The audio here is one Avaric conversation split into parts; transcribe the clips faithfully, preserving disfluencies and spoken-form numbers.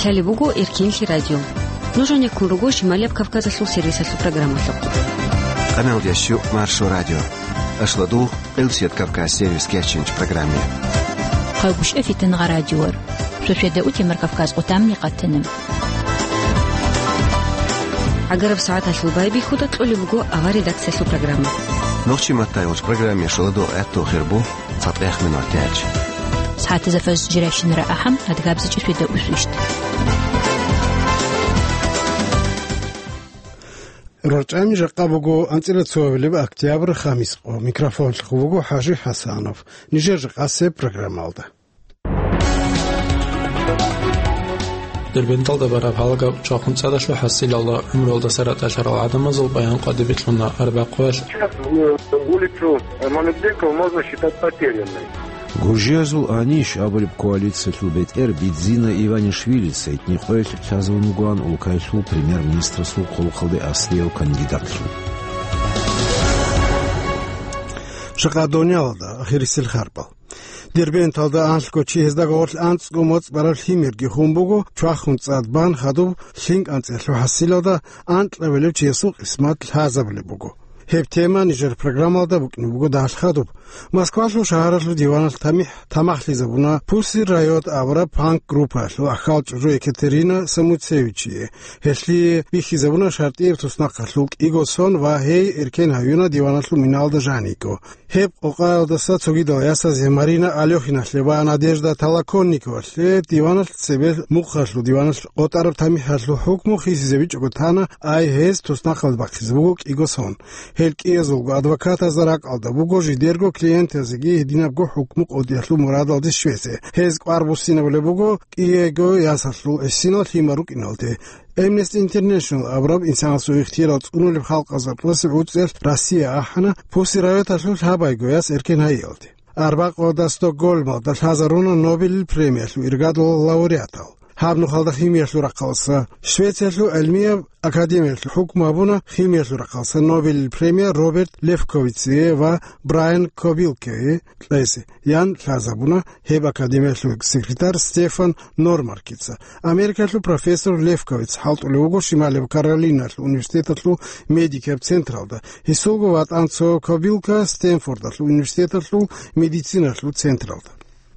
Гьале буго Эркинлъи радио. Нуж гьанеккун руго Шималияб Кавказалъул сервисалъул программалъухъ. Къаналдияс щук Маршо радио. Ашлодугъ, Къилсият Кавказ сервис кечинч программе. Хъайгъушев Фитангъа радиор. Шошеда утемар Кавказ къутамни къатана. ГӀагараб сагӀаталъул байбихьуда кьолеб буго авар редакциялъул программа. Нохчи маттай гъоч программе шоладо гӀатту хирбу. ЦатӀех минутач. СагӀатазда фаз жирайщинара ахӀам, адгабзичӀеб шведа усвищт. РорчӀами жакъа буго анцӀила цоабилеб октябрь, хамис къо. Микрофонлъухъ буго ХӀажи ХӀасанов. Нижер жакъасеб программалда. Дербенталда бараб гьалаб чвахун цӀадалъул хӀасилалда гӀумруялдаса ратӀалъарал гӀадамазул баян къватӀибе кьуна арбякъуялъ. Сейчас, э, улицу Мамедбекова можно считать потерянной. Гуржиязул аниш абулеб коалициялъул бетӀер Бидзина Иванишвилица гьитӀинаб къоялъ лъазабун бугоан улкаялъул премьер-министрасул хъулухъалде аслияв кандидатлъун. Жакъа дунялалда ахирисел харбал. Дербенталда анлъго чи, гьезда гъорлъ анцӀго моцӀ бараб лъимерги хун буго, чвахун цӀад бан хадуб лъим кӀанцӀиялъул хӀасилалда анкьабилев чиясул къисмат лъазабулеб буго. Гьеб тема нижер программалда букӀине буго дагьал хадуб. Москвалъул шагьаралъул диваналъ тамихӀ тамахлъизабуна Pussy Riot абураб панк-группаялъул ахал чӀужу Екатерина Самуцевичие. Гьелъие бихьизабуна шартӀияб туснахъалъул кӀиго сон ва гьей эркен гьаюна диваналъул миналда жаниго. Гьеб къокъаялдаса цогидал ясазе Марина Алёхиналъе ва Надежда Толоконниковалъе диваналъ цебе мухъалъул диваналъ къотӀараб тамихӀалъул хӀукму хисизабичӀого тана, ай гьез туснахъалде бахъизе буго кӀиго сон. Гьел кӀиязулго адвокатазда ракӀалда буго жидерго клиентазеги гьединабго хӀукму къотӀиялъул мурадалде щвезе. Гьез кӀвар буссинабулеб буго кӀиего ясалъул гӀисинал лъимал рукӀиналде. Amnesty International абураб инсанасул ихтияр цӀунулеб халкъазул тӀоцебе гӀуцӀиялъ Россия ахӀана Pussy Riot-алъул лъабайго яс эркен гьайиялде. Арбякъуялда Стокгольмалда лъазаруна Нобелил премиялъул иргадул лауреатал. Гьаб нухалда химиялъул рахъалса Швециялъул гӀилмияб академиялъул хӀукму гьабуна химиялъул рахъалса Нобелил премия Роберт Лефковицие ва Брайан Кобилкее кьезе, ян лъазабуна гьеб академиялъул секретарь Стефан Нормаркица. Америкалъул профессор Лефковиц хӀалтӀулев вуго Шималияб Каролиналъул университеталъул медикияб централда, гьесулго ватӀан цо Кобилка Стэнфордалъул университеталъул медициналъул централда.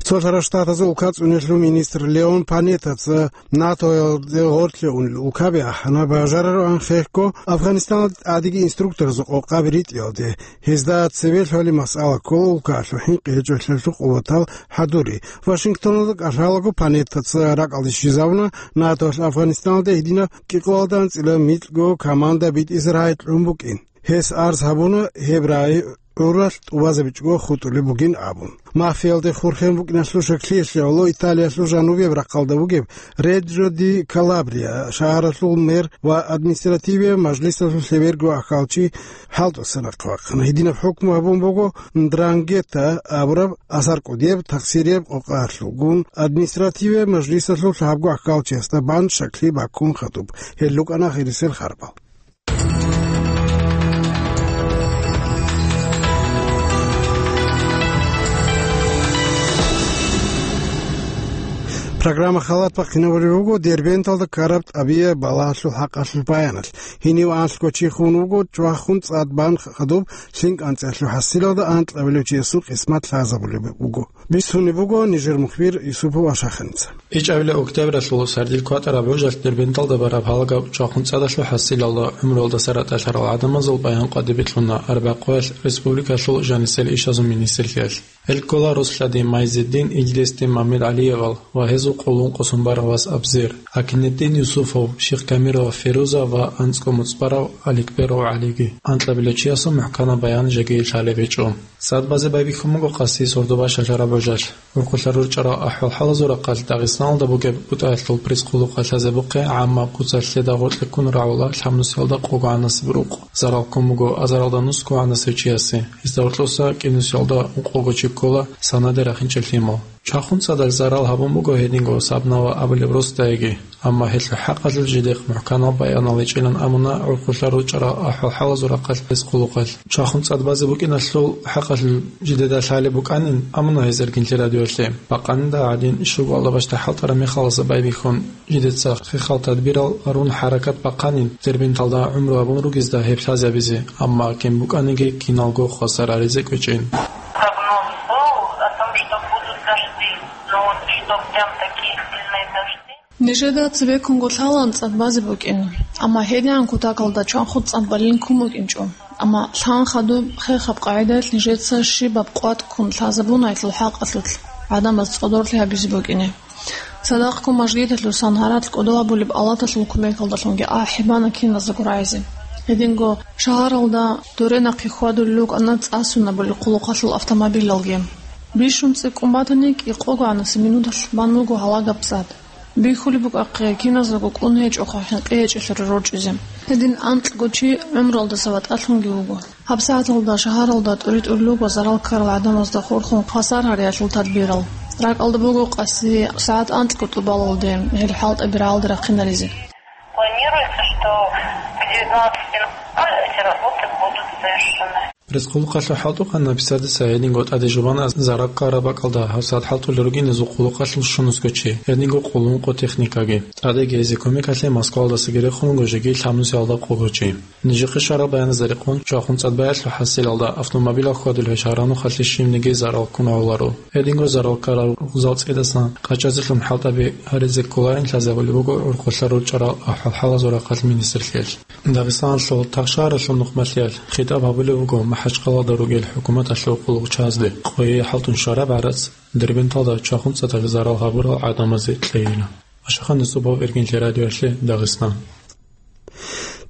Цолъарал Штатазул улкацӀунелъул министр Леон Панеттаца НАТОялде гъорлъе унел улкаби ахӀана, бажарароан хехго Афганистаналда тӀадеги инструкторазул къокъаби ритӀиялде. Гьезда цебе лъолеб масъала ккола улкаялъул хӀинкъи гьечӀолъиялъул къуватал хӀадури. Вашингтоналда кӀалъалаго Панеттаца ракӀалде щвезабуна НАТОялъ Афганистаналда гьединаб кӀикъоялда анцӀила микьго команда битӀизе рагӀи кьун букӀин. Гьес арз гьабуна гьеб рагӀи гӀуралъ тӀубазабичӀого хутӀулеб бугин абун. Мафиялде хурхен букӀиналъул щаклъиялъе гӀоло Италиялъул жанубияб рахъалда бугеб Реджо ди Калабрия шагьаралъул мэр ва административияб мажлисалъул лъеберго ахьалчи хӀалтӀуса нахъвахъана. Гьединаб хӀукму гьабун буго Ндрангета абураб асар кӀудияб тахсирияб къокъаялъулгун административияб мажлисалъул лъабго ахьалчиясда бан щаклъи баккун хадуб. Гьел рукӀана ахирисел харбал. Программа халат бахъинабулеб буго Дербенталда ккараб тӀабигӀат балагьалъул хӀакъалъулъ баяналъ. Гьенив анлъго чи хун вуго, чвахун цӀад бан хадуб лъим кӀанцӀиялъул хӀасилалда анкьабилев чиясул къисмат лъазабулеб буго. Бицунеб буго нижер мухбир Юсупов Ашаханица. ИчӀабилеб октябралъул сардил кватӀараб гӀужалъ Дербенталда бараб гьалаб чвахун цӀадалъул хӀасилалда гӀумруялдаса ратӀалъарал гӀадамазул баян къватӀибе кьуна арбякъуялъ республикалъул жанисел ишазул министрлъиялъ. Гьел ккола Руслъади Майзеддин, Илдесди МамедгӀалиевал ва гьезул къуллун къосун барав вас Абзер, Акинетдин Юсуфов, Шихкамирова Феруза ва анцӀго моцӀ барав Аликберов ГӀалиги. Анкьабилев чиясул мухӀканаб баян жеги лъалеб гьечӀо. Сад базе байбихьун буго къаси сордо бащалъараб гӀужалъ. Урхъулъа рорчӀарал ахӀвал-хӀалазул рахъалъ Дагъистаналда бугеб бутӀаялъул пресс-къуллукъалъ лъазабухъе гӀамма куцалъ лъеда гъоркье ккун рагӀула лъабнусиялда къого гӀанасеб рукъ. Зарал ккун буго азаралда нусго гӀанасев чиясе. Гьезда гьоркьоса кӀинусиялда ункъого чи ккола санаде рахинчӀел лъимал. Чвахун цӀадал зарал гьабун буго гьединго Сабнава абулеб росдайги, амма гьелъул хӀакъалъулъ жидехъ мухӀканаб баянал гьечӀилан абуна гӀурхъулъа ручӀарал ахӀвал-хӀалазул рахъалъ пресс-къулухъалъ. Чвахун цӀад базе букӀиналъул хӀакъалъулъ жидеда лъалеб букӀанин, амуна гьез Эркинлъи радиоялъе. Бакъанида гӀадин, щуго алда бащда хӀалтӀараб мехаласа байбихьун, жидеца хехал тадбирал гьарун хӀаракат бахъанин, Дербенталда гӀумру гьабун ругезда гьеб лъазабизе, амма кин букӀаниги киналго хвасар гьаризе кӀвечӀин. Прогноз был о том, что будут дожди, но вот что прям такие сильные дожди. Нижеда цебеккунго лъалаан цӀад базе букӀин, амма гьедигӀан кутакалда чвахун цӀад балин ккун букӀинчӀо. Амма лъан хадуб хехаб къагӀидаялъ нижеца щибаб къватӀ ккун лъазабуна гьелъул хӀакъалъулъ гӀадамаз цӀодорлъи гьабизе букӀине. Цадахъго мажгиталъусан гьаралъ кӀодо абулеб алаталъул кумекалдалъунги ахӀи бана киназдаго рагӀизе. Гьединго шагьаралда доре нахъе хьвадулел рукӀана цӀа сунабулел хъулухъалъул автомобилалги. Бищун цӀикӀкӀун батани, кӀикъого гӀанасеб минуталъ бан буго гьалагаб цӀад. Бихьулеб букӀахъе, киназдаго кӀун гьечӀоха хӀинкъи гьечӀелъул рорчӀизе. Гьедин анкьго чи гӀумруялдаса ватӀалъунги вуго. ГьабсагӀаталда шагьаралда тӀури-тӀурилго зарал ккарал гӀадамазда хурхун хвасар гьариялъул тадбирал. РакӀалда буго къаси сагӀат анкьго тӀубалалде гьел хӀалтӀаби рагӀалде рахъинаризе. Планируется, что к девятнадцати ноль ноль эти работы будут завершены. Пресс-къулухъалъул хӀалтӀухъан Написадиса гьединго тӀаде жубана зарал ккараб бакӀалда гьабсагӀат хӀалтӀулел ругин гьезул къулухъалъул щунусго чи, гьединго къуллукъго техникаги. ТӀадеги гьезие кумекалъе Москвалдасаги рехун руго жеги лъабнусиялда къугъучи. Нижехъе щвараб баяназда рекъон, чвахун цӀад баялъул хӀасилалда автомобилал хьвадулев шагьарал нухалъе щибниги зарал ккун гӀоларо. Гьединго зарал ккарал рукъзал цӀидасан къачӀазе лъун хӀалтӀаби гьаризе кколарин лъазабулеб буго гӀурхъулъа ручӀарал ахӀвал-хӀалазул рахъалъ министрлъиялъ. Дагъистаналъул Тахшагьаралъул нухмалъиялъ хитӀаб гьабулеб буго МахӀачхъаладал ругел хӀукуматалъул къуллукъчазде. Къойи хӀалтӀун щвараб гӀарац Дербенталда чвахун цӀадал зарал гьабурал гӀадамазе кьейила. Ашахан Юсупов, Эркинлъи радиоялъе, Дагъистан.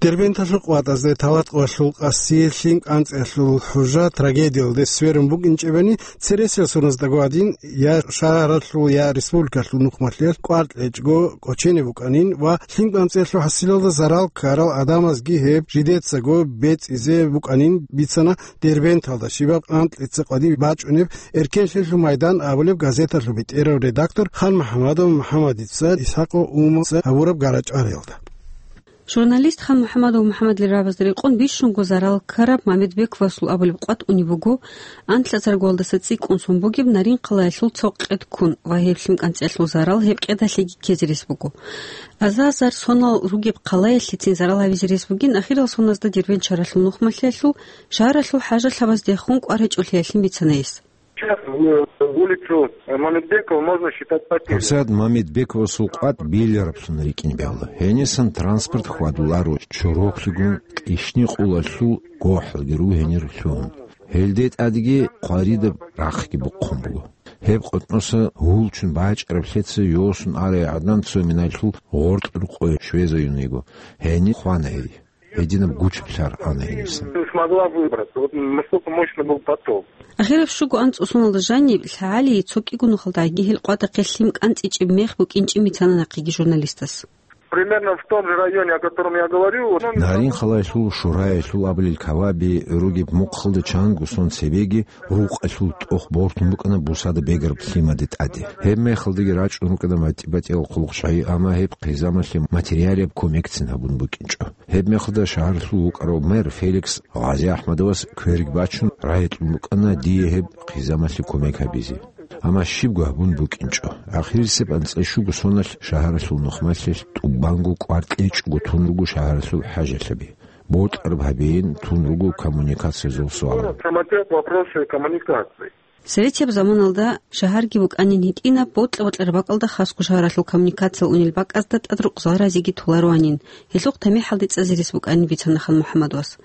Дербенталъул къватӀазде талатӀкъоялъул къаси, лъим кӀанцӀиялъул хӀужа трагедиялде сверун букӀинчӀебани, цересел соназдаго гьадин я шагьаралъул, я республикалъул нухмалъиялъ кӀвар кьечӀого кӀочене букӀанин ва лъим кӀанцӀиялъул хӀасилалда зарал ккарал гӀадамазги гьеб жидецаго бецӀизе букӀанин бицана Дербенталда щибаб анкьица къватӀиб бачӀунеб «Эркенлъиялъул майдан» абулеб газеталъул бетӀерав редактор Хан МухӀамадов МухӀамадица Исхакъов Умуца гьабураб гара-чӀвариялда. Журналист Хан МухӀамадов МухӀамадил рагӀабазда рекъон бищунго зарал ккараб Мамедбековасул абулеб къватӀ унеб буго анлъазаргоялдаса цӀикӀкӀун сон бугеб Нарин-Хъалаялъул цо къед ккун ва гьеб лъим кӀанцӀиялъул зарал гьеб къедалъеги ккезе рес буго. Азар-азар сонал ругеб хъалаялъецин зарал гьабизе рес бугин, ахирал соназда Дербент шагьаралъул нухмалъиялъул шагьаралъул хӀажалъабаздехун кӀвар гьечӀолъиялъин бицана гьес. Сейчас в улицу Мамедбекова можно считать потерянной. ГьабсагӀат Мамедбековасул къватӀ белараблъун рикӀкӀине бегьула. Гьенисан транспорт хьвадуларо, чороклъигун кьишни-къулалъул гохӀалги ругьинир лъугьун. Гьелде тӀадги хъваридаб рахъги бухъун буго. Гьеб къотӀноса гьулчун бачӀараб лъеца йосун арай гӀадан цо миналъул гъоркьрукъой щвезаюн йиго. Гьениб хвана гьей. Гьединаб гучаблъар ана гьенисан. Не смогла выбраться. Вот настолько мощный был поток. Ахираб щуго анцӀго соналда жаниб лъагӀалие цо кӀиго нухалдагӀги гьел къватӀахъе лъим кӀанцӀичӀеб мех букӀинчӀин бицана нахъеги журналистас. Примерно в том же районе, о котором я говорю, вот, ну, Нарин-Хъалаялъул Шураялъул абулел каваби ругеб мухъалда чанго сон цебеги рукъалъул тӀох бортун букӀана бусада бегараб лъимаде тӀаде. Гьеб мехалдаги рачӀун рукӀана батӀи-батӀиял хъулухъчагӀи, амма гьеб хъизамалъе материалияб кумекцин гьабун букӀинчӀо. Гьеб мехалда шагьаралъул вукӀарав мэр Феликс ГъазиахӀмадовас кверги бачун, рагӀи кьун букӀана дие гьеб хъизамалъе кумек гьабизе. Амма щибго гьабун букӀинчӀо. Ахирисеб анцӀила щуго соналъ шагьаралъул нухмалъиялъ тӀубанго кӀвар кьечӀого тун руго шагьаралъул хӀажалъаби. Бокьараб гьабиин тун руго коммуникациязул суал. Самотек вопросы коммуникаций. Советияб заманалда шагьарги букӀанин гьитӀинаб, бокьа-бокьараб бакӀалда хасго шагьаралъул коммуникациял унел бакӀазда тӀад рукъзал разиги толароанин, гьелъухъ тамихӀалде цӀазе рес букӀанин бицана Хан МухӀаммадовас.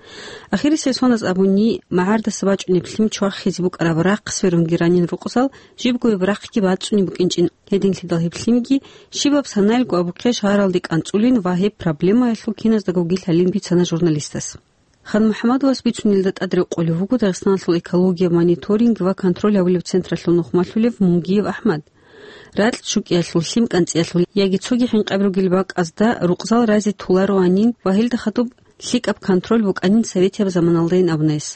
Ахирисел соназ абуни, магӀардаса бачӀунеб лъим чвахизе букӀараб рахъ сверунги ранин рукъзал, жибго гьеб рахъги бацӀцӀунеб букӀинчӀин, гьединлъидал гьеб лъимги щибаб санаялго абухъе шагьаралде кӀанцӀулин ва гьеб проблемаялъул киназдагоги лъалин бицана журналистас. Хан МухӀаммадовас бицунелда тӀад рекъолев вуго Дагъистаналъул экологияб мониторинг ва контроль гьабулеб централъул нухмалъулев Мунгиев АхӀмад. Ракь чӀукӀиялъул, лъим кӀанцӀиялъул яги цоги хӀинкъаби ругел бакӀазда рукъзал разе толароанин ва гьелда хадуб лъикӀаб контроль букӀанин советияб заманалдайин абуна гьес.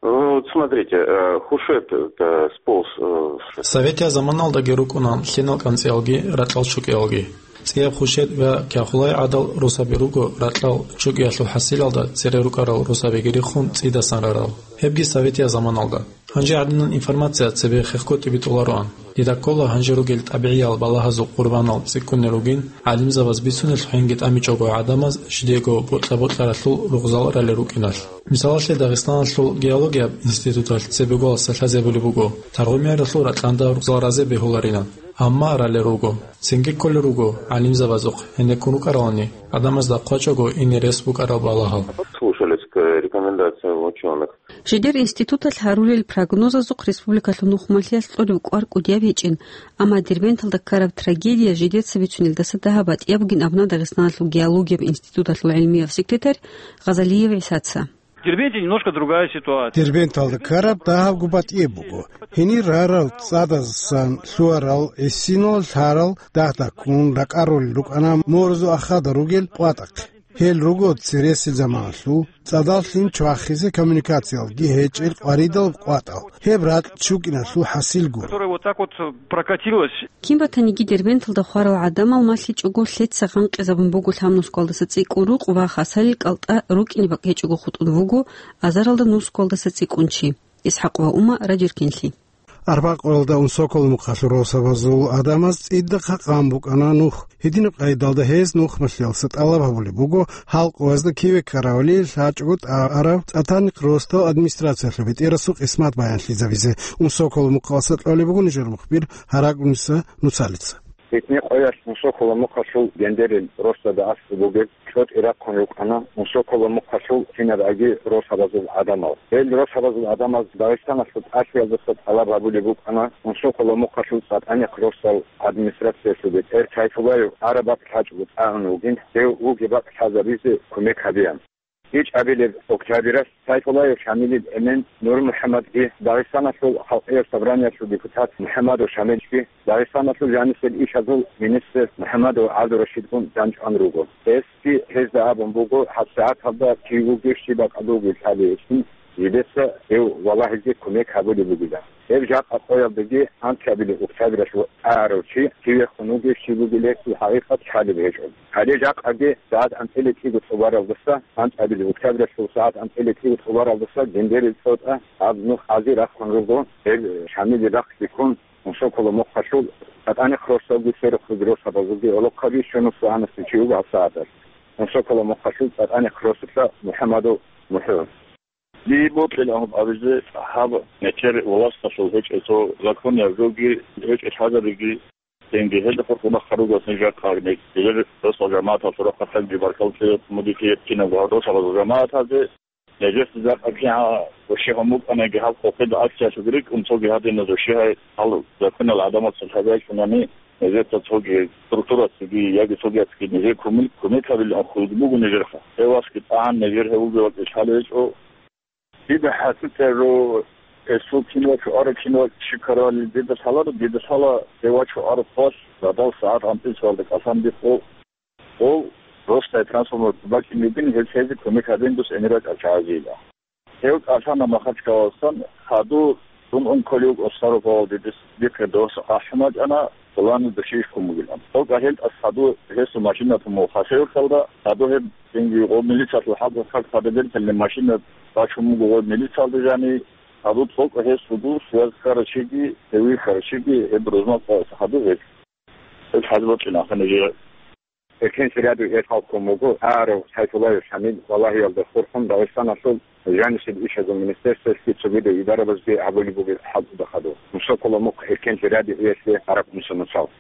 Ну, вот смотрите, э, Хушет, это сполз, э, с Советия заманалдаги рукӀуна лъенал кӀанцӀиялги ракьал чукӀиялги. ЦӀияб Хушет ва Кяхулай гӀадал росаби руго ракьал чукӀиялъул хӀасилалда цере рукӀарал росабиги риххун цӀидасан рарал. Гьебги Советия заманалда. Гьанже гӀадинан информация цебе хехго тӀибитӀулароан. Дида ккола гьанже ругел тӀабигӀиял балагьазул къурбанал цӀикӀкӀунел ругин, гӀалимзабаз бицунелъухӀинги тӀамичӀого гӀадамаз жидего бокьа-бокьаралъул ругъзал ралел рукӀиналъ. Мисалалъе, Дагъистаналъул геологияб институталъ цебеголаса лъазабулеб буго, Таргъумияралъул ракьанда ругъзал разе бегьуларилан. Амма ралел руго. Цинги кколел руго, гӀалимзабазухъ гьенеккун рукӀаралани, гӀадамазда хъвачӀого ине рес букӀарал балагьал. Слушались к рекомендациям учёных. Жидер институталъ гьарулел прогнозазухъ республикалъул нухмалъиялъ кьолеб кӀвар кӀудияб гьечӀин, амма Дербенталда ккараб трагедия жидеца бицунелдаса дагьаб батӀияб бугин абуна Дагъистаналъул геологияб институталъул гӀилмияв секретарь Гъазалиев ГӀисаца. Дербенте немножко другая ситуация. Дербенталда ккараб дагьабго батӀияб буго. Гьенир рарал цӀадасан лъугьарал гӀисинал лъарал дагь-даккун ракӀарулел рукӀана морзу ахада ругел къватӀахъе. Гьел руго цересел заманалъул цӀадал лъим чвахизе коммуникациялги гьечӀел къваридал къватӀал. Гьеб ракь чукӀиналъул хӀасил гуро. Которая вот так вот прокатилась. Кин батаниги Дербенталда хварал гӀадамал малъичӀого лъеца гъанкъизабун буго лъабнускалдаса цӀикӀкӀун рукъ ва хасалил кӀалтӀа рукӀине бакӀ гьечӀого хутӀун вуго азаралда нускалдаса цӀикӀкӀун чи. ИсхӀакъ ва Ума, Радио Эркенлъи. Арбакъоялда Унсоколо мухъалъул росабазул гӀадамаз цӀидахъа къан букӀана нух. Гьединаб къайдалда гьез нухмалъиялса тӀалаб гьабулеб буго, гьал къоязда киве ккаравали лъачӀого тӀараб ЦӀатаникъ росдал администрациялъул бетӀерасул къисмат баянлъизабизе. Унсоколо мухъалса кьолеб буго нижер мухбир Гьарагуниса Нуцалица. Гьитни къоялъ Унсоколо мухъалъул гендерил росдада аслу бугеб чӀотӀи рахъун рукӀана Унсоколо мухъалъул кинаб аги росабазул гӀадамал. Гьел росабазул гӀадамаз Дагъистаналъул тӀалъиялдаса тӀалаб гьабулеб букӀана Унсоколо мухъалъул ЦӀатаникъ росдал администрациялъул бетӀер Сайфуллаев араб бакӀ лъачӀого тӀагӀун вугин, гьев вугеб бакӀ лъазабизе кумек гьабеян. ИчӀабилеб октябралъ Сайфуллаев Шамилил эмен НурмухӀаммадги, Дагъистаналъул Халкъиял Собраниялъул депутат МухӀаммадов Шамилги, Дагъистаналъул жанисел ишазул министр МухӀаммадов ГӀабдурашидгун данчӀван руго. Гьесги гьезда абун буго, гьабсагӀаталда кив вугев щиб бакӀалда вугев лъалеб гьечӀин, жидеца гьев валагьизе кумек гьабулеб бугилан. Гьеб жакъа къоялдаги анкьабилеб октябралъ тӀагӀарав чи кивехун вугев щиб бугеб лъезе хӀакъикъат лъалеб гьечӀо. Гьале жакъаги сагӀат анцӀила кӀиго тӀубаралдаса, анкьабилеб октябралъул сагӀат анцӀила кӀиго тӀубаралдаса гендерил цӀотӀа гьаб нух ази рахъун руго, гьеб Шамилил рахъги ккун, Унсоколо мухъалъул ЦӀатаникъ росдалги сверухъ ругел росабазулги гӀолохъаби щунус вагьанасев чи вуго гьабсагӀаталъ Унсоколо мухъалъул ЦӀатаникъ росулъа МухӀаммадов МухӀу. Дие бокьилан гьаб абизе, гьаб мехтер власталъул гьечӀеб цо законияб жоги гьечӀеб лъазабиги, цинги гьелда хурхунахъа руго ниж жакъа гьеб мехтер росдал жамагӀаталъул рахъалъагӀги жиб баркал лъезе мудихъе кинабго гьал росабазул жамагӀаталде. Нижеца жакъа кигӀан ущигьун букӀаниги гьаб къокъида акциялъулги рикӀкӀун цоги гьадиназул щигьай гьал закониял гӀадамаца лъазабичӀунани, нижеца цоги структурацаги яги цогияцаги нижее кумек, кумек гьабилан хьулги буго нижерха. Гьев васги тӀагӀан нижер гьев вугев вакӀи лъалеб гьечӀо. Дида хӀасилъе жо, гьесул кин вачӀу араб, кин вачӀи щиб ккарабали дида лъаларо, дида лъала гьев вачӀу араб хъвалъ, радал сагӀат анцӀила цоялда кӀалъан дихъо, гъов росдай трансформатор бакӀине бугин, гьеб лъезе кумек гьабин дус гӀемер рачӀарал чагӀазейила. Гьев кӀалъана Махачкалалдасан, гьадур дун ун кколев вуго Старопавлалде, дис дихъе дос ахӀун вачӀана, пуланизда щиб иш ккун бугилан. Гьев кӀалъан тӀаса гьадур гьесул машина тун буго Хасавюрталда, гьадур гьеб цинги гъов милициялъул хӀалкӀ хъаркъ гьабидер, гьеле машина бачун буго гъов милициялда жани, гьадур цӀокӀ гьесулгун связь ккарав чиги, гьев вихьарав чиги, гьеб рузман къоялъ гьадур гьечӀо. Гьеб хӀалбачӀина ахӀана жигьа. Эркенлъи радио эс халкъун буго, тӀагӀарав Сайфуллаев Шамил валагьиялда хурхун Дагъистаналъул жанисел ишазул министерствоялъги цогидал идарабазги гьабулеб бугеб хӀалтӀуда хадур. Мусакула мухъ Эркенлъи радиоялъе Араб Муса Нуцал.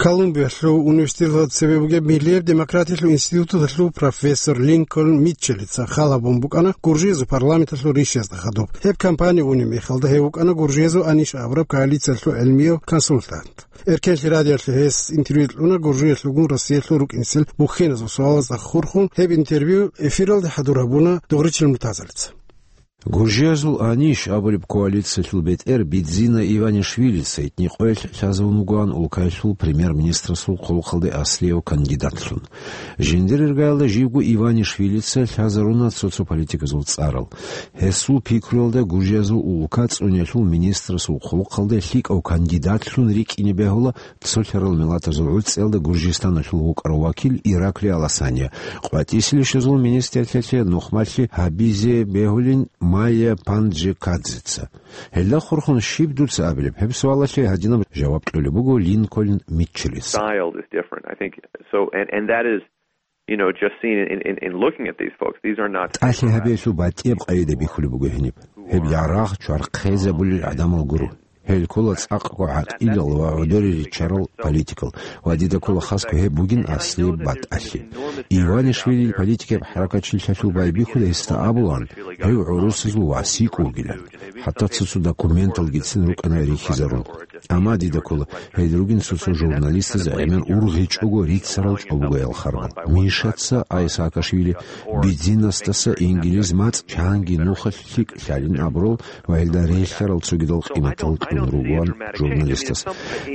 Колумбиялъул университеталда цебе бугеб Миллияб демократиялъул институталъул профессор Линкольн Митчеллица хал гьабун букӀана Гуржиязул парламенталъул ришазда хадуб. Гьеб кампания унеб мехалда гьев вукӀана Гуржиязул Аниш абураб коалициялъул гӀелмияв консультант. Эркенлъи радиоялъе гьес интервью кьуна Гуржиялъулгун Россиялъул рукӀинцин бухьиназул суалазда хурхун, гьеб интервью эфиралде хӀадур гьабуна Дугъричил Муртазалица. Гуржиязул «Аниш» абулеб коалициялъул бетӀер Бидзина Иванишвилица гьитӀинаб къоялъ лъазавун вугоан улкаялъул премьер-министрасул хъулухъалде аслияв кандидатлъун. Жиндир иргаялда живго Иванишвилица лъазаруна цо-цо политиказул цӀарал. Гьесул пикруялда, Гуржиязул улка цӀуниялъул министрасул хъулухъалде лъикӀав кандидатлъун рикӀкӀине бегьула цолъарал миллатазул гӀуцӀиялда Гуржистаналъул вукӀарав вакил Ираклий Аласания, къватӀисел ишазул министрлъиялъе нухмалъи гьабизе бегьулин Майя Панджикадзеца. Гьелда хурхун щиб дуца абилеб? Гьеб суалалъе гьадинаб жаваб кьолеб буго Линкольн Митчеллица. Style is different, I think. So, and, and that is, you know, just seen in, in, in looking at these folks. These are not ТӀалъи гьабиялъул батӀияб къайда бихьулеб буго гьениб. Гьеб ярагъ чвархъезабулел гӀадамал гуро. Гьел ккола цӀакъго гӀакъилал ва гӀодоре риччарал политикал, ва дида ккола хасго гьеб бугин аслияб батӀалъи. Иванишвилил политикияб хӀаракатчилъалъул байбихьуда гьесда абулаан, гьев гӀурусазул вас йикӀ вугилан. ХӀатта цо-цо документалгицин рукӀана рихьизарун. Амма дида ккола, гьел ругин цо-цо журналистаз гӀемер ургъичӀого рицарал чӀобогоял харбал. Мишаца, ай Саакашвили, Бидзинасдаса инглиз мацӀ чанги нухалъ лъикӀ лъалин абурал ва гьелда релълъарал цогидал къиматал кьун ругоан журналистас.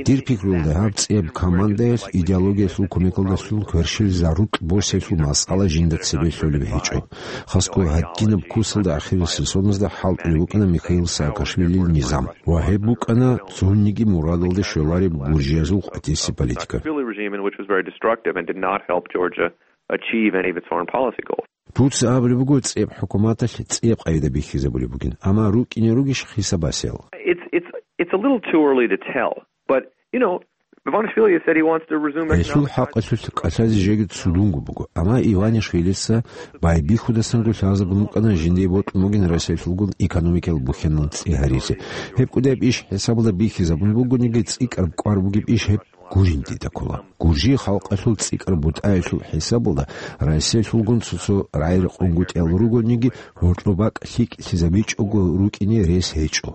Дир пикруялда, гьаб цӀияб командаялъ идеологиялъул кумекалдалъун кверщел зарукь босиялъул масъала жинда цебе лъолеб гьечӀо. Хасго гьадинаб кусалда ахирисел соназда хӀалтӀулеб букӀана Михаил Саакашвилил низам. Ва гьеб букӀана цониги мурадалде щолареб гуржиязул къватӀиси политика. Saakashvili regime, in which was very destructive and did not help Georgia achieve any of its foreign policy goals. Дуца абулеб буго, цӀияб хӀукуматалъ цӀияб къайда бихьизабулеб бугин, амма рукӀине ругищ хисабасел? It's, it's, it's a little too early to tell, but, you know, Ivanishvili has said he wants to resume economic ties. Гьелъул хӀакъалъулъ кӀалъазе жеги цудунго буго, амма Иванишвилица байбихьудасанго лъазабун букӀана жиндие бокьун бугин Россиялъулгун экономикиял бухьанал цӀи гьаризе. Гьеб кӀудияб иш хӀисабалда бихьизабун бугониги, цӀикӀкӀараб кӀвар бугеб иш гьеб гурин дида ккола. Гуржи халкъалъул цӀикӀкӀараб бутӀаялъул хӀисабалда Россиялъулгун цо-цо рагӀи-рекъонгутӀиял ругониги, гьоркьоб бакӀ лъикӀлъизабичӀого рукӀине рес гьечӀо.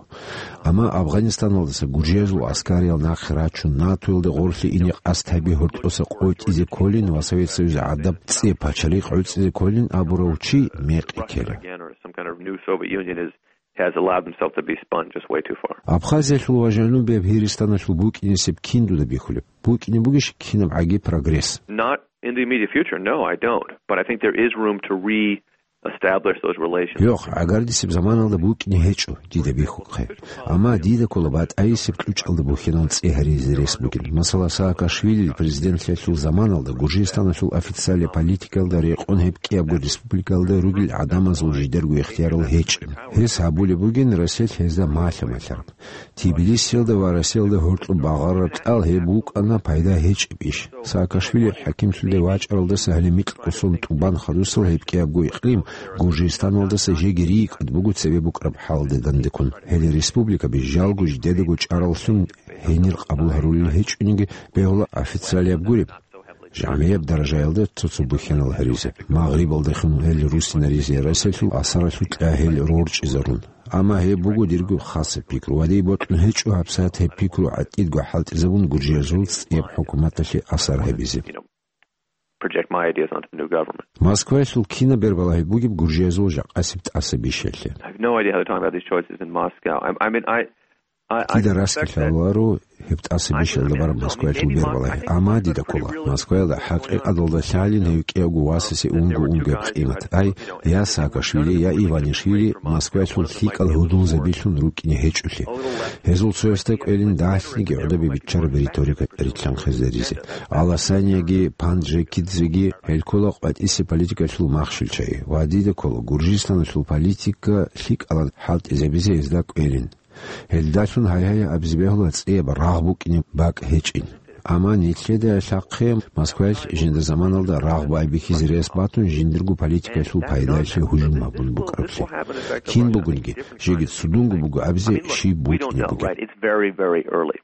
Амма Афганистаналдаса гуржиязул аскариял нахъе рачун, НАТОялде гъорлъе ине къасд гьаби гьоркьоса къотӀизе кколин ва Совет Союз гӀадаб цӀияб пачалихъ гӀуцӀизе кколин абурав чи мекъи ккела. Again, or some kind of new Soviet Union is, has allowed himself to be spun just way too far. Абхазиялъул ва Жанубияб Гьиристаналъул букӀинесеб кин дуда бихьулеб? БукӀине бугищ кинаб гӀаги прогресс? Not in the immediate future, no, I don't. But I think there is room to re-establish those relations. Йох, гӀагардисеб заманалда букӀине гьечӀо дида бихьухъе. Амма дида ккола батӀайисеб кьучӀалда бухьанал цӀи гьаризе рес бугин. Масала, Саакашвилил президентлъиялъул заманалда Гуржистаналъул официалияб политикаялда рекъон гьеб кӀиябго республикаялда ругел гӀадамазул жидерго ихтиярал гьечӀин. Гьес гьабулеб бугин Россиялъ гьезда малъа-малъараб. Тбилисиялда ва Россиялда гьоркьоб багъараб кьал гьеб букӀана пайда гьечӀеб иш. Саакашвили хӀакимлъулде вачӀаралдаса гьале микьго сон тӀубан хадусал гьеб кӀиябго икълим Гуржистаналдаса жеги рикӀкӀад буго цебе букӀараб хӀалалде дандеккун. Гьеле республикаби жалго жидедаго чӀараллъун гьенир къабул гьарулел гьечӀониги, бегьула официалияб гуреб, жамгӀияб даражаялда цо-цо бухьанал гьаризе. Магърибалдехун гьел русинаризе, Россиялъул асаралъукьа гьел рорчӀизарун. Амма гьеб буго дирго хасаб пикру. Ва дие бокьун гьечӀо гьабсагӀат гьеб пикру гӀатӀидго хӀалтӀизабун гуржиязул цӀияб хӀукуматалъе асар гьабизе. Project my ideas onto the new government. Москваялъул кинаб бербалагьи бугеб гуржиязул жакъасеб тӀаса бишелъе? I have no idea how they're talking about these choices in Moscow. I, I mean, I, I, I Дида suspect that раскилъаларо гьеб тӀаса бишелда бараб Москваялъул бербалагьи. Амма дида ккола, Москваялда хӀакъикъаталда лъалин гьев кӀиявго васасе унго-унгояб къимат. Ай, я Саакашвили, я Иванишвили Москваялъул лъикӀал гьудулзабилъун рукӀине гьечӀолъи. Гьезул цоясда кӀвелин дагьлъиги гӀодобе биччараб риторика рилълъанхъизаризе. Аласанияги Панджикидзеги гьел ккола къватӀисе политикалъул махщел чагӀи ва дида ккола Гуржистаналъул политика лъикӀалан хӀалтӀизабизе гьезда кӀвелин. Гьелдалъун гьайгьай абизе бегьула цӀияб рагъ букӀине бакӀ гьечӀин. Амма нилъеда лъахъе Москваялъ жинда заманалда рагъ байбихьизе рес батун жиндирго политикалъул пайдалъе гьужум гьабун букӀараблъи. Кин бугониги, жеги цудунго буго абизе щиб букӀине бугеб. It's very, very early.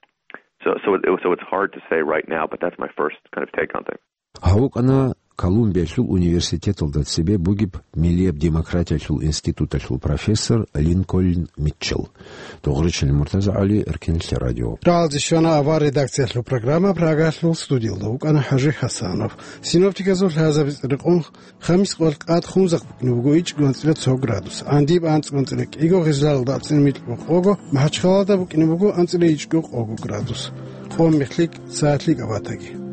So, so, it, so it's hard to say right now, but that's my first kind of take on things. Гьав вукӀана Колумбиялъул университеталда цебе бугеб Миллияб демократиялъул институталъул профессор Линкольн Митчелл. Догъричилин Муртаза ГӀали, Эркенлъи радио. Рагьалде щвана авар редакциялъул программа, Прагалъул студиялда вукӀана ХӀажи Хасанов. Синоптиказул лъазабиз рекъон, хамис къваркъат хунзахъ букӀине буго ичӀго анцӀила цо градус, гӀандиб анцӀго анцӀила кӀиго, Гъизлалда анцӀила микьго къого, МахӀачхъалада букӀине буго анцӀила ичӀго къого градус. Къом мехлъи сагӀатлъи кӀабатаги.